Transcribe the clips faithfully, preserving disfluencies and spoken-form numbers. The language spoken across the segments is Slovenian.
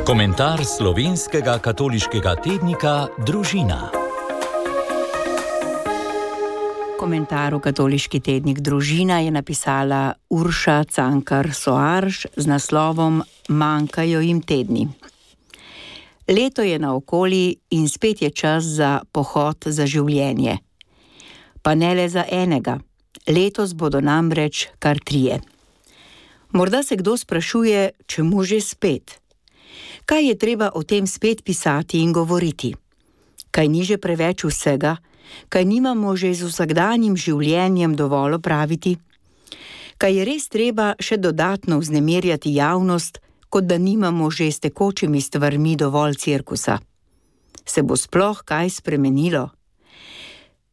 Komentar slovenskega katoliškega tednika Družina. Komentar v katoliški tednik Družina je napisala Urša Cankar Soarš z naslovom Manjkajo jim tedni. Leto je naokoli in spet je čas za pohod za življenje. Pa ne le za enega. Letos bodo namreč kar trije. Morda se kdo sprašuje, čemu že spet? Kaj je treba o tem spet pisati in govoriti? Kaj ni že preveč vsega? Kaj nimamo že z vsakdanjim življenjem dovolj opraviti? Kaj je res treba še dodatno vznemirjati javnost, kot da nimamo že s tekočimi stvarmi dovolj cirkusa? Se bo sploh kaj spremenilo?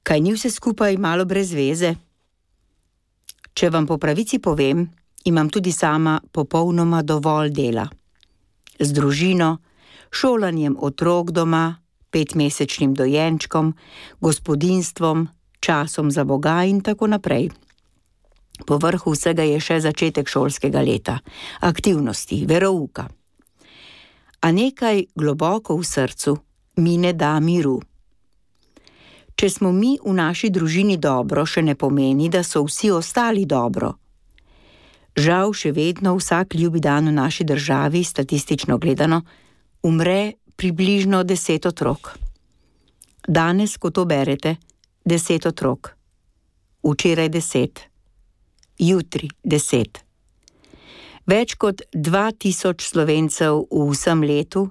Kaj ni vse skupaj malo brez veze? Če vam po pravici povem, imam tudi sama popolnoma dovolj dela. Z družino, šolanjem otrok doma, petmesečnim dojenčkom, gospodinjstvom, časom za Boga in tako naprej. Po vrhu vsega je še začetek šolskega leta, aktivnosti, verouka. A nekaj globoko v srcu mi ne da miru. Če smo mi v naši družini dobro, še ne pomeni, da so vsi ostali dobro. Žal še vedno vsak ljubi dan v naši državi, statistično gledano, umre približno deset otrok. Danes, ko to berete, deset otrok. Včeraj deset. Jutri deset. Več kot dva tisoč Slovencev v vsem letu,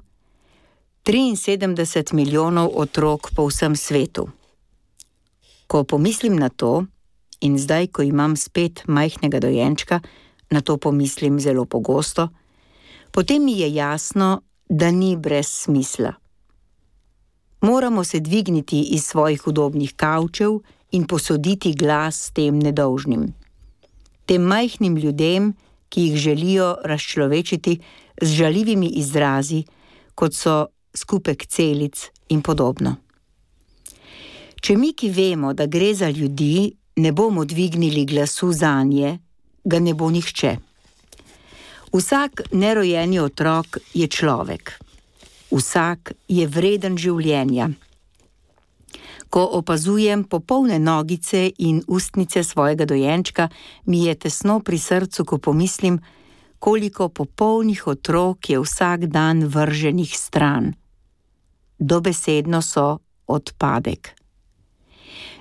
triinsedemdeset milijonov otrok po vsem svetu. Ko pomislim na to, in zdaj, ko imam spet majhnega dojenčka, na to pomislim zelo pogosto, potem mi je jasno, da ni brez smisla. Moramo se dvigniti iz svojih udobnih kavčev in posoditi glas tem nedolžnim. Tem majhnim ljudem, ki jih želijo razčlovečiti z žaljivimi izrazi, kot so skupek celic in podobno. Če mi, ki vemo, da gre za ljudi, ne bomo dvignili glasu zanje, ga ne bo nihče. Vsak nerojeni otrok je človek. Vsak je vreden življenja. Ko opazujem popolne nogice in ustnice svojega dojenčka, mi je tesno pri srcu, ko pomislim, koliko popolnih otrok je vsak dan vrženih stran. Dobesedno so odpadek.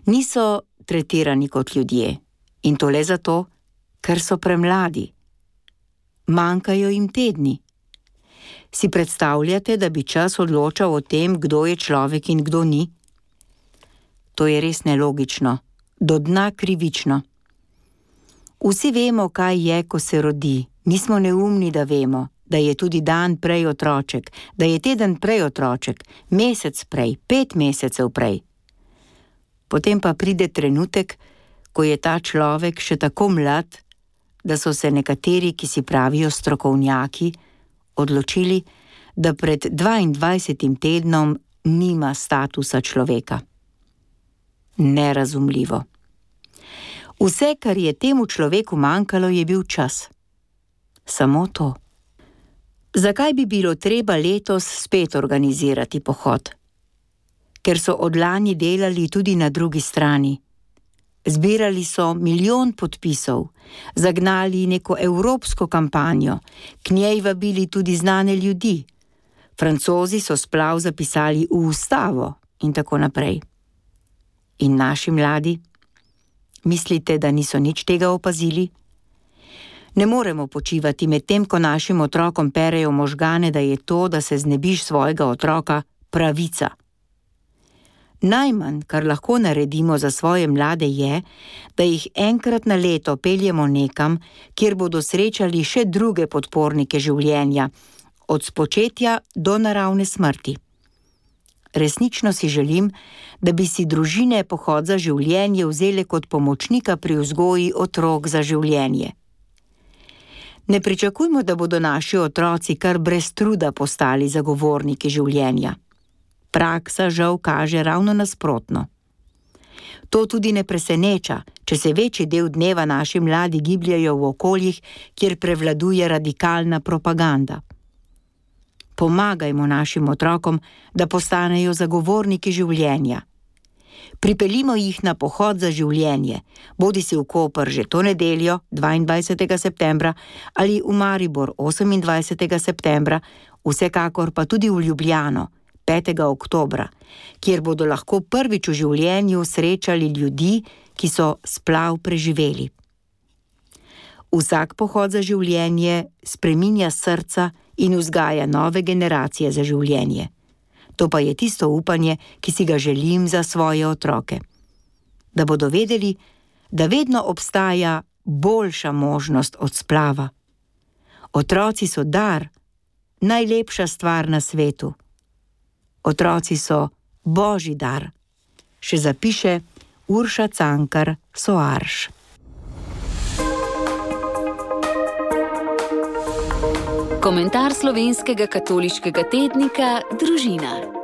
Niso tretirani kot ljudje, in to le zato, ker so premladi. Manjkajo jim tedni. Si predstavljate, da bi čas odločal o tem, kdo je človek in kdo ni? To je res nelogično, do dna krivično. Vsi vemo, kaj je, ko se rodi. Nismo neumni, da vemo, da je tudi dan prej otroček, da je teden prej otroček, mesec prej, pet mesecev prej. Potem pa pride trenutek, ko je ta človek še tako mlad, da so se nekateri, ki si pravijo strokovnjaki, odločili, da pred dvaindvajsetim tednom nima statusa človeka. Nerazumljivo. Vse, kar je temu človeku manjkalo, je bil čas. Samo to. Zakaj bi bilo treba letos spet organizirati pohod? Ker so odlani delali tudi na drugi strani. Zbirali so milijon podpisov, zagnali neko evropsko kampanjo, k njej vabili tudi znane ljudi. Francozi so splav zapisali v ustavo in tako naprej. In naši mladi? Mislite, da niso nič tega opazili? Ne moremo počivati med tem, ko našim otrokom perejo možgane, da je to, da se znebiš svojega otroka, pravica. Najmanj, kar lahko naredimo za svoje mlade je, da jih enkrat na leto peljemo nekam, kjer bodo srečali še druge podpornike življenja, od spočetja do naravne smrti. Resnično si želim, da bi si družine pohod za življenje vzele kot pomočnika pri vzgoji otrok za življenje. Ne pričakujmo, da bodo naši otroci kar brez truda postali zagovorniki življenja. Praksa žal kaže ravno nasprotno. To tudi ne preseneča, če se večji del dneva naši mladi gibljajo v okoljih, kjer prevladuje radikalna propaganda. Pomagajmo našim otrokom, da postanejo zagovorniki življenja. Pripeljimo jih na pohod za življenje, bodi si v Koper že to nedeljo, dvaindvajsetega septembra, ali v Maribor osemindvajsetega septembra, vsekakor pa tudi v Ljubljano, petega oktobra, kjer bodo lahko prvič v življenju srečali ljudi, ki so splav preživeli. Vsak pohod za življenje spreminja srca in vzgaja nove generacije za življenje. To pa je tisto upanje, ki si ga želim za svoje otroke. Da bodo vedeli, da vedno obstaja boljša možnost od splava. Otroci so dar, najlepša stvar na svetu. Otroci so Božji dar, še zapiše Urša Cankar Soarš. Komentar slovenskega katoliškega tednika Družina.